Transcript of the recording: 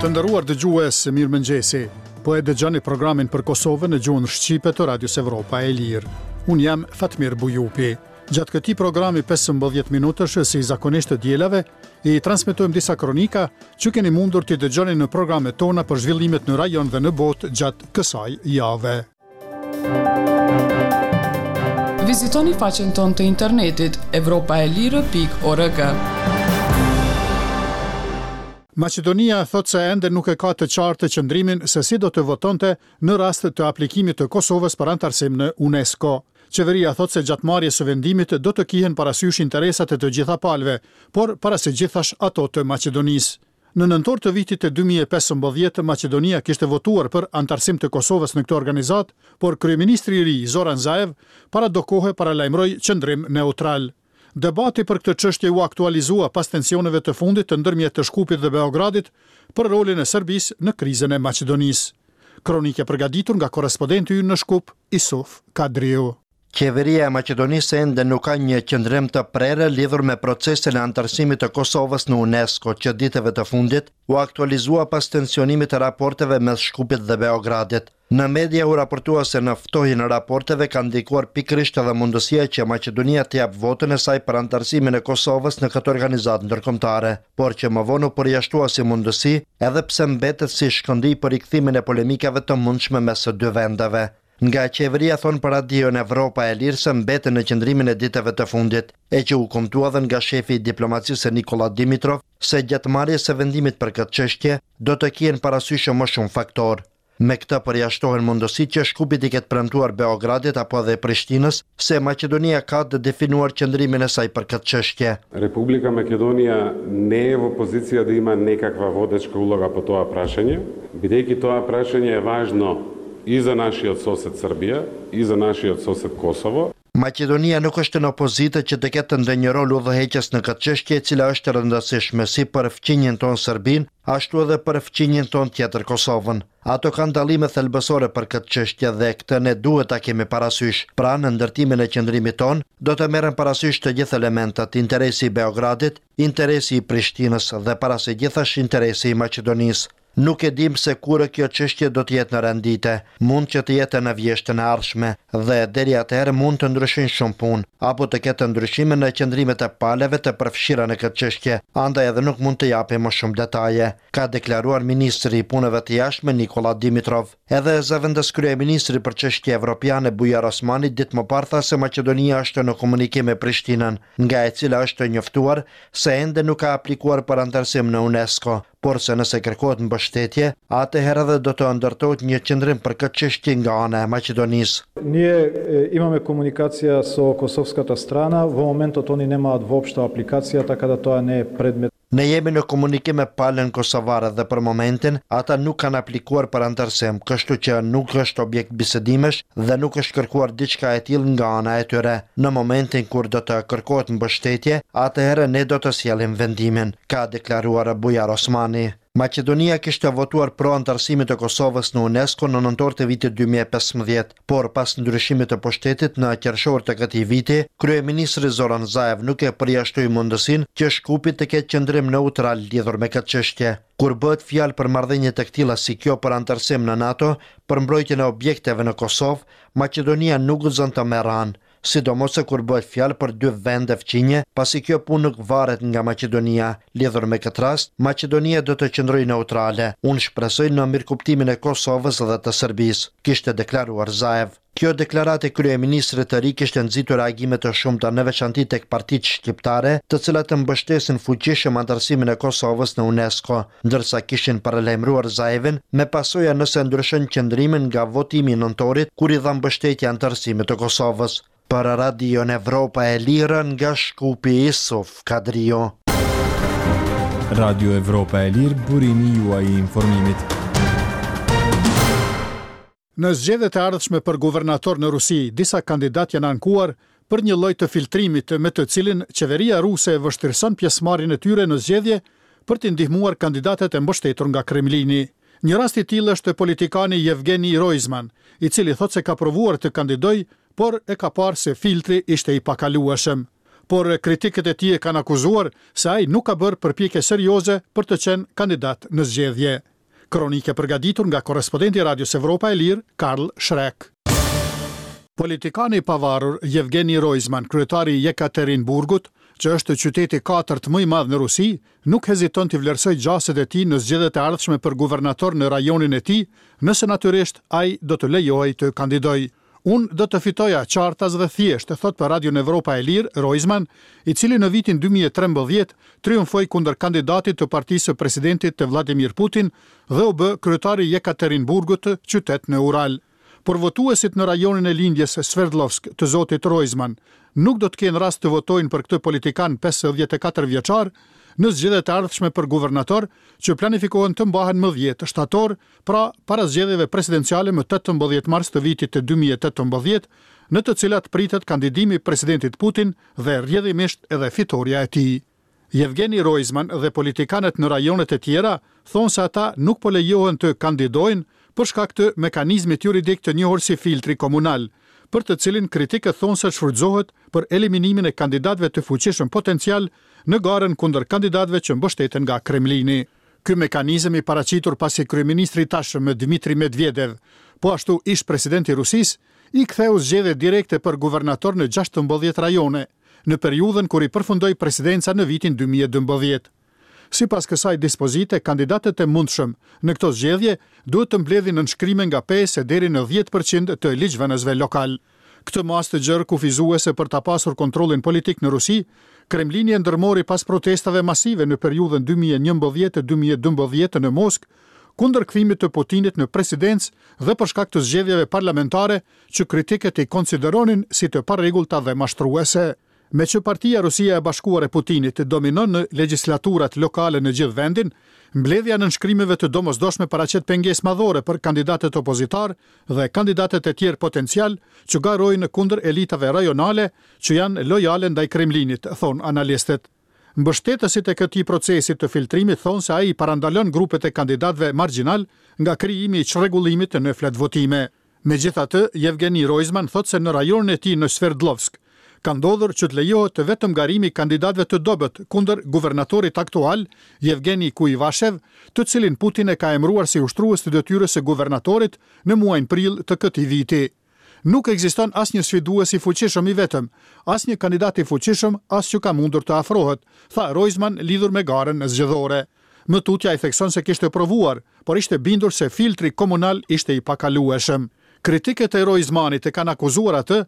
Të nderuar dëgjues, mirëmëngjesi. Po e dëgjoni programin për Kosovën në gjuhën shqipe të Radios Evropa e Lirë. Unë jam Fatmir Bujupi. Gjatë këtij programi 15 minutësh, si zakonisht të dielave, i transmetojmë disa kronika që keni mundur t'i dëgjoni në programet tona për zhvillimet në rajon dhe në botë gjatë kësaj jave. Vizitoni faqen tonë të internetit evropaelire.org. Maqedonia thotë se ende nuk e ka të qartë qëndrimin se si do të votonte në rast të aplikimit të Kosovës për anëtarësim në UNESCO. Qeveria thotë se gjatë marrjes së vendimit do të kihen parasysh interesat e të gjitha palëve, por para së gjithash ato të Maqedonisë. Në nëntor të vitit 2015, Maqedonia kishte votuar për anëtarësim të Kosovës në këtë organizatë, por kryeministri i ri, Zoran Zaev, para do kohe paralajmëroi qëndrim neutral. Debati për këtë çështje u aktualizua pas tensioneve të fundit të ndërmjet të Shkupit dhe Beogradit për rolin e Serbisë në krizën e Maqedonisë. Kronikë e përgatitur nga korrespondenti ynë në Shkup, Isuf Kadriu. Qeveria e Maqedonisë ende nuk ka një qëndrim të prerë lidhur me procesin e anëtarësimit të Kosovës në UNESCO, që ditëve të fundit u aktualizua pas tensionimit të raporteve mes Shkupit dhe Beogradit. Në media u raportua se në ftohjen e raporteve ka ndikuar pikërisht edhe mundësia që Maqedonia të japë votën e saj për anëtarësimin e Kosovës në këtë organizatë ndërkombëtare, por që më vonë u përjashtua si mundësi, edhe pse mbetet si shkëndijë për rikthimin e polemikave të mundshme mes dy vendeve. Nga qeveria thonë për Radion Evropa e Lirë se mbeten në qëndrimin e ditëve të fundit, e që u kumtua edhe nga shefi i diplomacisë Nikolla Dimitrov se gjatë marrjes së vendimit për këtë çështje do të kihen parasysh më shumë faktorë. Me këtë përjashtohen mundësitë që Shkupi t'i ketë premtuar Beogradit apo edhe Prishtinës se Maqedonia ka të definuar qëndrimin e saj për këtë çështje. Република Македонија не е во позиција да има некаква водечка улога по тоа прашање, бидејќи тоа прашање е важно и за нашиот сосед Србија, и за нашиот сосед Косово. Maqedonia nuk është në pozitë që të ketë ndonjë rol udhëheqës në këtë çështje e cila është e rëndësishme si për fqinjin tonë Serbinë, ashtu edhe për fqinjin tonë tjetër Kosovën. Ato kanë dallime thelbësore për këtë çështje dhe këtë ne duhet ta kemi parasysh. Pra, në ndërtimin e qëndrimit tonë, do të merren parasysh të gjithë elementët, interesi i Beogradit, interesi i Prishtinës dhe para së gjithash interesi i Maqedonisë. Nuk e dimë se kur kjo çështje do të jetë në rend dite. Mund që të jetë në vjeshtën e ardhshme dhe deri atëherë mund të ndryshojnë shumë punë, apo të ketë ndryshime në qëndrimet e palëve të përfshira në këtë çështje, andaj edhe nuk mund të japim më shumë detaje, ka deklaruar ministri i Punëve të Jashtme Nikolla Dimitrov. Edhe zëvendëskryeministri për çështje evropiane Bujar Osmani ditë më parë tha se Maqedonia është në komunikim me Prishtinën, nga e cila është njoftuar se ende nuk ka aplikuar për anëtarësim në UNESCO, por se nëse kërkohet mbështetje, atëherë edhe do të ndërtohet një qëndrim për këtë çështje nga ana e Maqedonisë. Ние имаме комуникација со косовската страна, во моментот они немаат воопшто апликација, така да тоа не е предмет. Ne jemi në komunikim me palën kosovare dhe për momentin ata nuk kanë aplikuar për anëtarësim, kështu që nuk është objekt bisedimesh dhe nuk është kërkuar diçka e tillë nga ana e tyre. Në momentin kur do të kërkohet mbështetje, atëherë ne do të sjellim vendimin, ka deklaruar Bujar Osmani. Maqedonia kishte votuar pro anëtarësimit të Kosovës në UNESCO në nëntor të vitit 2015, por pas ndryshimit të pushtetit në qershor të këtij viti, kryeministri Zoran Zaev nuk e përjashtoi mundësinë që Shkupi të ketë qëndrim neutral lidhur me këtë çështje. Kur bëhet fjalë për marrëdhënie të këtilla si kjo për anëtarësim në NATO, për mbrojtjen e objekteve në Kosovë, Maqedonia nuk guxon të merr anë, sidomos se kur bëhet fjalë për dy vende fqinje, pasi kjo punë nuk varet nga Maqedonia. Lidhur me këtë rast, Maqedonia do të qëndrojë neutrale. Unë shpresoj në mirëkuptimin e Kosovës dhe të Serbisë, kishte deklaruar Zaev. Kjo deklaratë e kryeministrit të ri kishte nxitur reagime të shumta në veçanti tek partitë shqiptare, të cilat mbështesin fuqishëm anëtarësimin e Kosovës në UNESCO, ndërsa kishin paralajmëruar Zaevin me pasoja nëse ndryshon qëndrimin nga votimi i nëntorit kur i dha mbështetje anëtarësimit të Kosovës. Për Radion Evropa e Lirë nga Shkupi Isuf Kadriu. Radio Evropa e Lirë, burimi juaj i informimit. Në zgjedhjet e ardhshme për guvernator në Rusi, disa kandidatë janë ankuar për një lloj të filtrimit me të cilin qeveria ruse e vështirëson pjesëmarrjen e tyre në zgjedhje për t'i ndihmuar kandidatët e mbështetur nga Kremlini. Një rast i tillë është politikani Yevgeny Roizman, i cili thotë se ka provuar të kandidojë, por e ka parë se filtri ishte i pakalueshëm. Por kritikët e tij e kanë akuzuar se ai nuk ka bërë përpjekje serioze për të qenë kandidat në zgjedhje. Kronikë e përgatitur nga korrespondenti i Radios Evropa e Lirë, Karl Schreck. Politikani i pavarur Yevgeny Roizman, kryetari i Yekaterinburgut, që është qyteti i katërt më i madh në Rusi, nuk heziton t'i vlerësojë gjasat e tij në zgjedhjet e ardhshme për guvernator në rajonin e tij, nëse natyrisht ai do të lejohej të kandidojë. Unë do të fitoja qartas dhe thjesht, thotë për Radion Evropa e Lirë, Roizman, i cili në vitin 2013 triumfoi kundër kandidatit të partisë së presidentit të Vladimir Putin dhe u bë kryetari i Yekaterinburgut, qytet në Ural. Por votuesit në rajonin e lindjes Sverdlovsk të zotit Roizman nuk do të kenë rast të votojnë për këtë politikan 54 vjeçar në zgjedhjet e ardhshme për guvernator që planifikohen të mbahen më 10 shtator, pra para zgjedhjeve presidenciale më 18 mars të vitit të 2018, në të cilat pritet kandidimi i presidentit Putin dhe rrjedhimisht edhe fitorja e tij. Yevgeny Roizman dhe politikanët në rajonet e tjera thonë se ata nuk po lejohen të kandidojnë për shkak të mekanizmit juridik të njohur si filtri komunal, për të cilin kritikët thonë se shfrytëzohet për eliminimin e kandidatëve të fuqishëm potencial në garën kundër kandidatëve që mbështeten nga Kremlini. Ky mekanizëm i paraqitur pasi kryeministri i tashëm Dmitry Medvedev, po ashtu ish-presidenti i Rusisë, i ktheu zgjedhjet direkte për guvernator në 16 rajone, në periudhën kur i përfundoi presidenca në vitin 2012. Sipas kësaj dispozite, kandidatët e mundshëm në këto zgjedhje duhet të mbledhin nënshkrime nga 5 deri në 10% të ligjvënësve lokal. Këtë masë të gjerë kufizuese për ta pasur kontrollin politik në Rusi, Kremlini e ndërmori pas protestave masive në periudhën 2011-2012 në Moskë, kundër kthimit të Putinit në presidencë dhe për shkak të zgjedhjeve parlamentare që kritikët i konsideronin si të parregullta dhe mashtruese. Meqë partia Rusia e Bashkuar e Putinit dominon në legjislaturat lokale në gjithë vendin, mbledhja e nënshkrimeve të domosdoshme paraqet pengesë madhore për kandidatët opozitar dhe kandidatët e tjerë potencial që garojnë kundër elitave rajonale që janë lojale ndaj Kremlinit, thonë analistët. Mbështetësit e këtij procesi të filtrimit thonë se ai parandalon grupet e kandidatëve margjinal nga krijimi i çrregullimit në fletvotime. Megjithatë, Yevgeny Roizman thotë se në rajonin e tij në Sverdlovsk ka ndodhur që të lejohet vetëm garimi i kandidatëve të dobët kundër guvernatorit aktual, Yevgeny Kuyvashev, të cilin Putin e ka emëruar si ushtrues të detyrës së guvernatorit në muajin prill të këtij viti. Nuk ekziston asnjë sfidues i fuqishëm i vetëm, asnjë kandidat i fuqishëm as që ka mundur të afrohet, tha Roizman lidhur me garën zgjedhore. Më tutje ai thekson se kishte provuar, por ishte bindur se filtri komunal ishte i pakalueshëm. Kritikët e Roizmanit e kanë akuzuar atë.